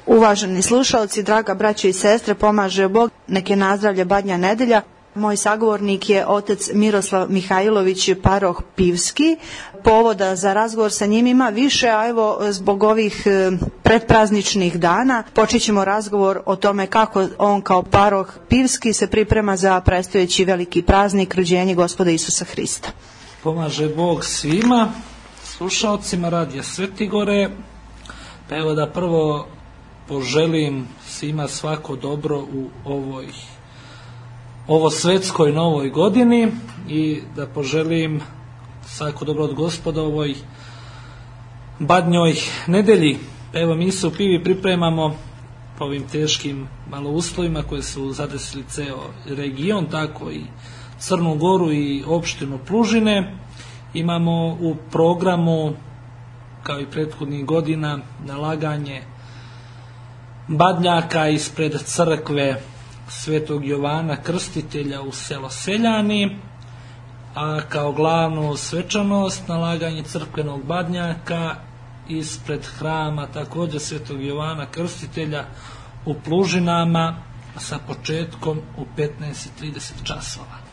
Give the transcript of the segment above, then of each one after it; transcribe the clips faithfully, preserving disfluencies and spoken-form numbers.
Uvaženi slušalci, draga braćo i sestre, pomaže Bog, nek je nazdravlje Badnja nedelja. Moj sagovornik je otac Miroslav Mihajlović, paroh Pivski. Povoda za razgovor sa njim ima više, a evo zbog ovih predprazničnih dana počet ćemo razgovor o tome kako on kao paroh Pivski se priprema za predstojeći veliki praznik, rođenje Gospoda Isusa Hrista. Pomaže Bog svima, slušalcima Radija Svetigore. Pa evo da prvo poželim svima svako dobro u ovoj ovo svetskoj novoj godini i da poželim svako dobro od Gospoda ovoj Badnjoj nedelji. Evo, mi se u Pivi pripremamo po ovim teškim malo uslovima koje su zadesili ceo region, tako i Crnu Goru i opštinu Plužine. Imamo u programu, kao i prethodnih godina, nalaganje badnjaka ispred crkve Svetog Jovana Krstitelja u selo Seljani, a kao glavnu svečanost nalaganje crkvenog badnjaka ispred hrama također Svetog Jovana Krstitelja u Plužinama sa početkom u petnaest i trideset časova.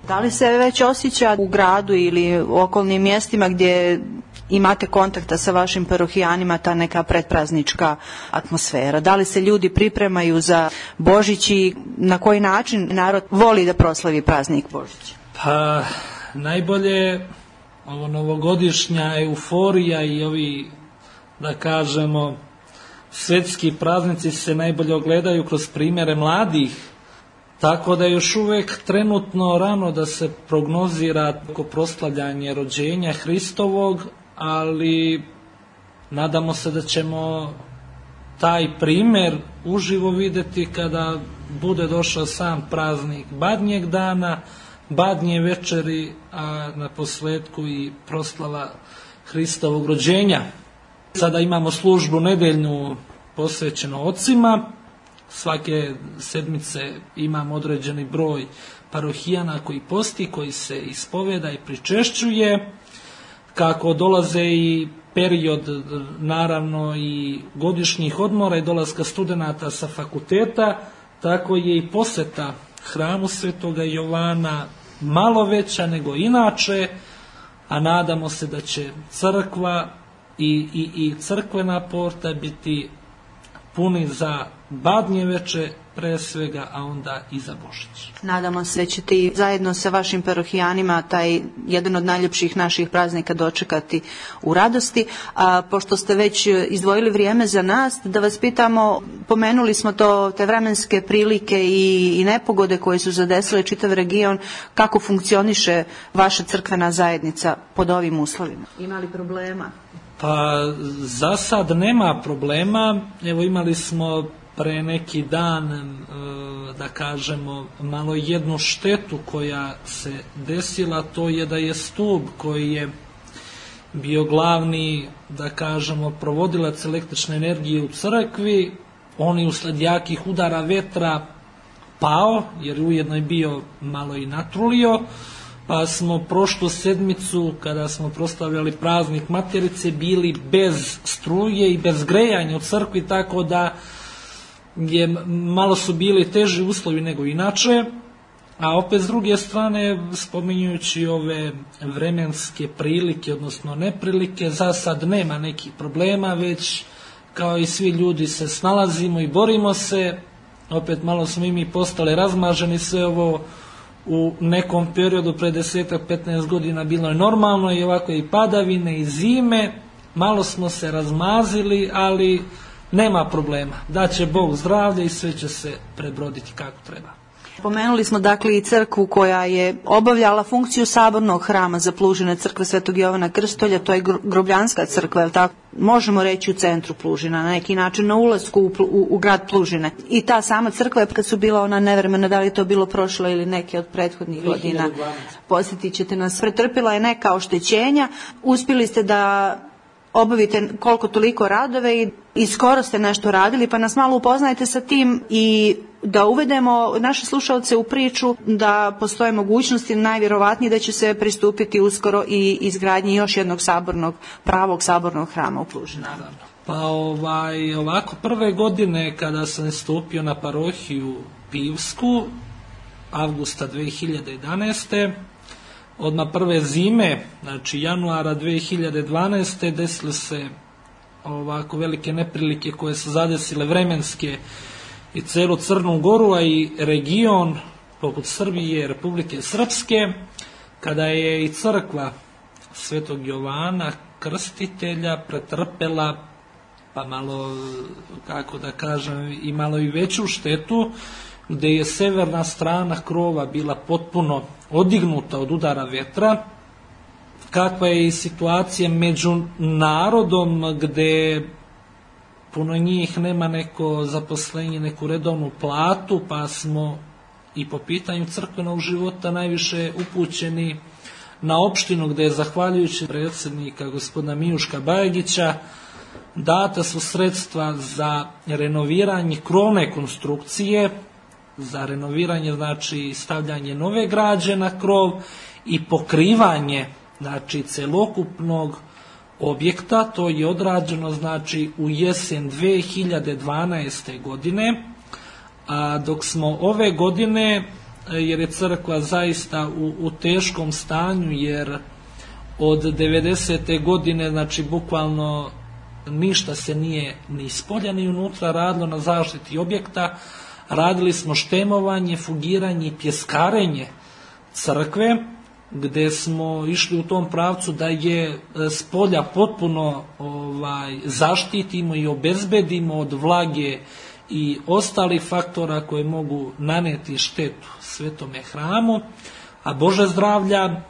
Da li se već osjeća u gradu ili u okolnim mjestima gdje imate kontakta sa vašim parohijanima ta neka predpraznička atmosfera? Da li se ljudi pripremaju za Božić i na koji način narod voli da proslavi praznik Božića? Pa najbolje ovo novogodišnja euforija i ovi, da kažemo, svetski praznici se najbolje ogledaju kroz primjere mladih. Tako da je još uvek trenutno rano da se prognozira oko proslavljanje rođenja Hristovog, ali nadamo se da ćemo taj primjer uživo videti kada bude došao sam praznik Badnjeg dana, Badnje večeri, a na posledku i proslava Hristovog rođenja. Sada imamo službu nedeljnu posvećenu ocima. Svake sedmice imam određeni broj parohijana koji posti, koji se ispoveda i pričešćuje. Kako dolaze i period, naravno, i godišnjih odmora i dolaska studenata sa fakulteta, tako je i poseta hramu Svetoga Jovana malo veća nego inače, a nadamo se da će crkva i, i, i crkvena porta biti puni za Badnje veče pre svega, a onda i za Božić. Nadamo se da ćete i zajedno sa vašim parohijanima taj jedan od najljepših naših praznika dočekati u radosti. A pošto ste već izdvojili vrijeme za nas, da vas pitamo, pomenuli smo to, te vremenske prilike i, i nepogode koje su zadesile čitav region, kako funkcioniše vaša crkvena zajednica pod ovim uslovima? Ima li problema? Pa za sad nema problema. Evo, imali smo pre neki dan, da kažemo, malo jednu štetu koja se desila, to je da je stub koji je bio glavni, da kažemo, provodilac električne energije u crkvi, on je usled jakih udara vetra pao, jer ujedno je bio malo i natrulio, pa smo prošlu sedmicu, kada smo proslavljali praznik Materice, bili bez struje i bez grejanja u crkvi, tako da je malo su bili teži uslovi nego inače, a opet s druge strane, spominjujući ove vremenske prilike, odnosno neprilike, za sad nema nekih problema, već kao i svi ljudi se snalazimo i borimo se. Opet malo smo i mi postali razmaženi, sve ovo u nekom periodu pre desetak petnaest godina bilo je normalno i ovako i padavine i zime, malo smo se razmazili, ali nema problema. Daće Bog zdravlje i sve će se prebroditi kako treba. Pomenuli smo dakle i crkvu koja je obavljala funkciju sabornog hrama za Plužine, crkve Svetog Jovana Krstitelja, to je grobljanska crkva, je li tako? Možemo reći u centru Plužina, na neki način na ulasku u, u, u grad Plužine. I ta sama crkva, kad su bila ona nevremena, da li je to bilo prošlo ili neke od prethodnih godina, posjetit ćete nas, pretrpila je neka oštećenja, uspjeli ste da obavite koliko toliko radove i, i skoro ste nešto radili, pa nas malo upoznajte sa tim i da uvedemo naše slušalce u priču da postoje mogućnosti, najvjerovatnije da će se pristupiti uskoro i izgradnji još jednog sabornog, pravog sabornog hrama u Plužini. Pa ovaj, ovako prve godine kada sam stupio na parohiju Pivsku, avgusta dve hiljade jedanaeste. Odmah prve zime, znači januara dve hiljade dvanaeste. desile se ovako velike neprilike koje su zadesile vremenske i celu Crnu Goru, a i region poput Srbije, Republike Srpske, kada je i crkva Svetog Jovana Krstitelja pretrpela, pa malo, kako da kažem, i malo i veću štetu, gde je severna strana krova bila potpuno odignuta od udara vetra, kakva je i situacija među narodom, gde puno njih nema neko zaposlenje, neku redovnu platu, pa smo i po pitanju crkvenog života najviše upućeni na opštinu, gde je zahvaljujući predsjednika gospodina Mijuška Bajagića data su sredstva za renoviranje krovne konstrukcije, za renoviranje, znači stavljanje nove građe na krov i pokrivanje, znači celokupnog objekta. To je odrađeno, znači, u jesen dve hiljade dvanaeste. godine, a dok smo ove godine, jer je crkva zaista u, u teškom stanju, jer od devedesete. godine, znači bukvalno ništa se nije ni spolja ni unutra radilo na zaštiti objekta. Radili smo štemovanje, fugiranje i pjeskarenje crkve, gde smo išli u tom pravcu da je spolja potpuno ovaj, zaštitimo i obezbedimo od vlage i ostalih faktora koje mogu naneti štetu svetome hramu, a Bože zdravlja,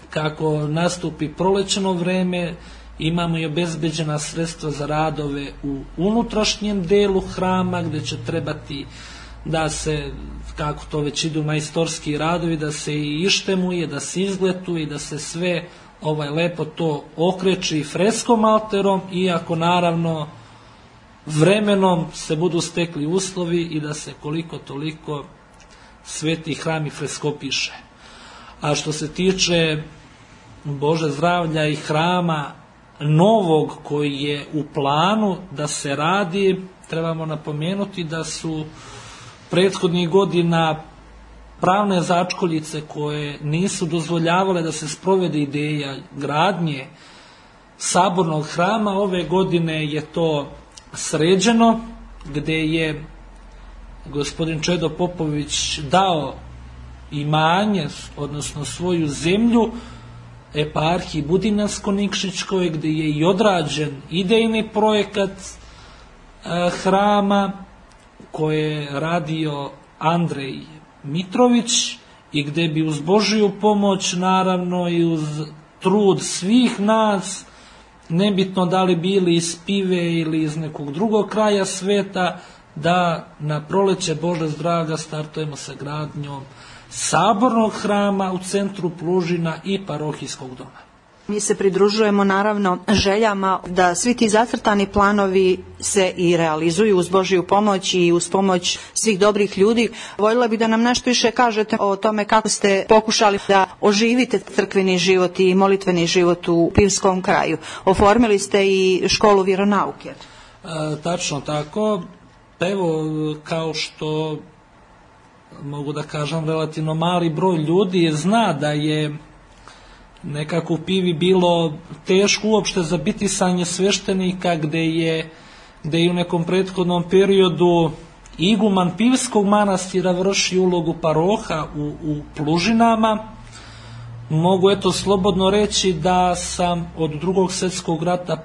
kako nastupi prolećno vreme, imamo i obezbeđena sredstva za radove u unutrašnjem delu hrama, gde će trebati da se, kako to već idu majstorski radovi, da se i ištemuje, da se izgletuje i da se sve ovaj lepo to okreči freskom alterom, iako naravno vremenom se budu stekli uslovi i da se koliko toliko sveti hram i freskopiše. A što se tiče Bože zdravlja i hrama novog koji je u planu da se radi, trebamo napomenuti da su prethodnih godina pravne začkoljice koje nisu dozvoljavale da se sprovede ideja gradnje sabornog hrama, ove godine je to sređeno, gde je gospodin Čedo Popović dao imanje, odnosno svoju zemlju eparhiji Budinjansko-Nikšićkoj, gde je i odrađen idejni projekat e, hrama koje je radio Andrej Mitrović i gde bi uz Božiju pomoć, naravno i uz trud svih nas, nebitno da li bili iz Pive ili iz nekog drugog kraja sveta, da na proleće Bože zdravlja startujemo sa gradnjom sabornog hrama u centru Plužina i parohijskog doma. Mi se pridružujemo naravno željama da svi ti zacrtani planovi se i realizuju uz Božju pomoć i uz pomoć svih dobrih ljudi. Voljela bih da nam nešto više kažete o tome kako ste pokušali da oživite crkveni život i molitveni život u Pivskom kraju. Oformili ste i školu vjeronauke. E, tačno tako. Evo, kao što mogu da kažem, relativno mali broj ljudi zna da je nekako u Pivi bilo teško uopšte za bitisanje sveštenika, gde je, gde je u nekom prethodnom periodu iguman Pivskog manastira vrši ulogu paroha u, u Plužinama. Mogu eto slobodno reći da sam od Drugog svjetskog rata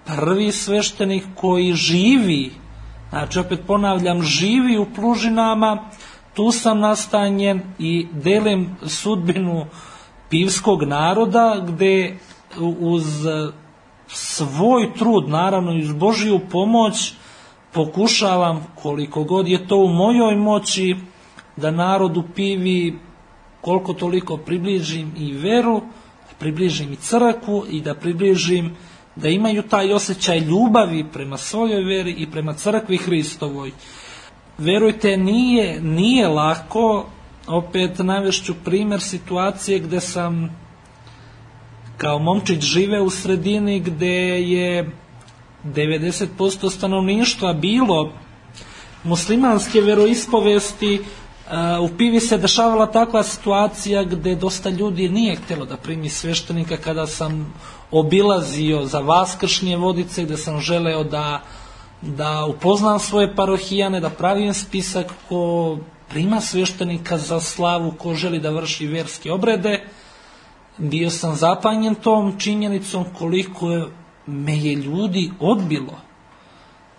prvi sveštenik koji živi, znači opet ponavljam, živi u Plužinama. Tu sam nastanjen i delim sudbinu pivskog naroda, gde uz svoj trud, naravno i uz Božju pomoć, pokušavam koliko god je to u mojoj moći da narodu Pivi koliko toliko približim i veru, približim i crkvu i da približim da imaju taj osjećaj ljubavi prema svojoj veri i prema crkvi Hristovoj. Verujte, nije, nije lako. Opet navešću primjer situacije gde sam kao momčić žive u sredini gde je devedeset posto stanovništva bilo muslimanske veroispovesti, u Pivi se dešavala takva situacija gde dosta ljudi nije htjelo da primi sveštenika. Kada sam obilazio za Vaskršnje Vodice, gde sam želeo da, da upoznam svoje parohijane, da pravim spisak ko prima sveštenika za slavu, ko želi da vrši verske obrede, bio sam zapanjen tom činjenicom koliko me je ljudi odbilo.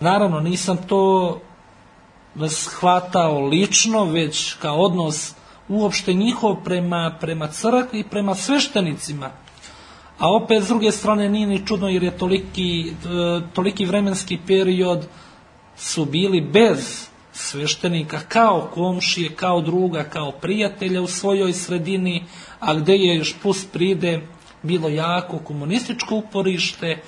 Naravno, nisam to shvatao lično, već kao odnos uopšte njihov prema, prema crkvi i prema sveštenicima. A opet, s druge strane, nije ni čudno jer je toliki, toliki vremenski period su bili bez sveštenika, kao komšije, kao druga, kao prijatelja u svojoj sredini, a gde je još plus pride bilo jako komunističko uporište,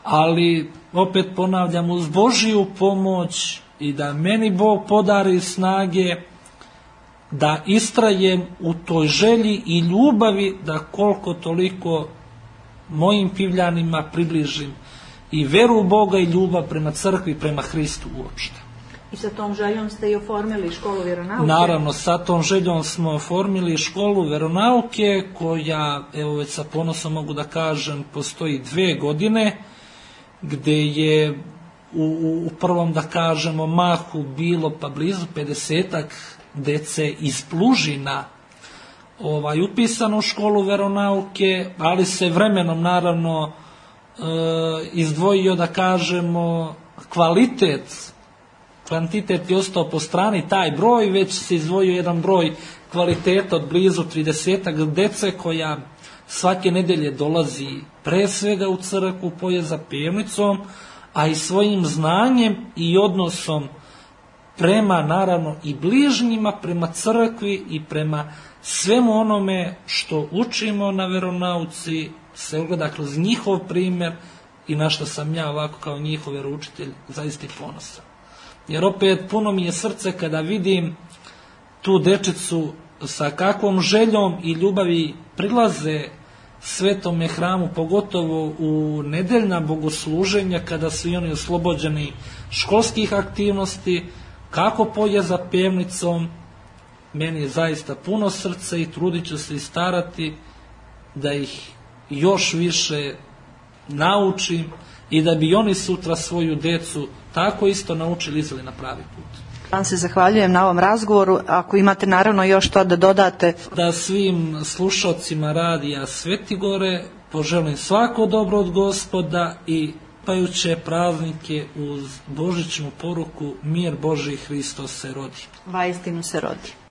ali opet ponavljam, uz Božiju pomoć i da meni Bog podari snage da istrajem u toj želji i ljubavi da koliko toliko mojim Pivljanima približim i veru u Boga i ljubav prema crkvi, prema Hristu uopšte. I sa tom željom ste i oformili školu veronauke? Naravno, sa tom željom smo oformili školu veronauke koja, evo već sa ponosom mogu da kažem, postoji dve godine, gde je u, u, u prvom, da kažemo, mahu bilo pa blizu pedesetak dece iz Plužina ovaj, upisano u školu veronauke, ali se vremenom naravno e, izdvojio, da kažemo, kvalitet. Kvantitet je ostao po strani, taj broj, već se izdvojio jedan broj kvaliteta od blizu tridesetak dece koja svake nedelje dolazi pre svega u crkvu, poje za pevnicom, a i svojim znanjem i odnosom prema, naravno, i bližnjima, prema crkvi i prema svemu onome što učimo na veronauci se ogleda kroz njihov primer i na što sam ja ovako kao njihov veroučitelj zaista ponosan. Jer opet puno mi je srce kada vidim tu dečicu sa kakvom željom i ljubavi prilaze Svetome hramu, pogotovo u nedeljna bogosluženja kada su i oni oslobođeni školskih aktivnosti, kako poje za pevnicom. Meni je zaista puno srce i trudit ću se i starati da ih još više naučim i da bi oni sutra svoju decu tako isto naučili, izveli na pravi put. Vam se zahvaljujem na ovom razgovoru. Ako imate naravno još to da dodate. Da svim slušalcima radija Svetigore poželim svako dobro od Gospoda i pajuće praznike uz božićnu poruku mir Božji, Hristos se rodi. Vaistinu se rodi.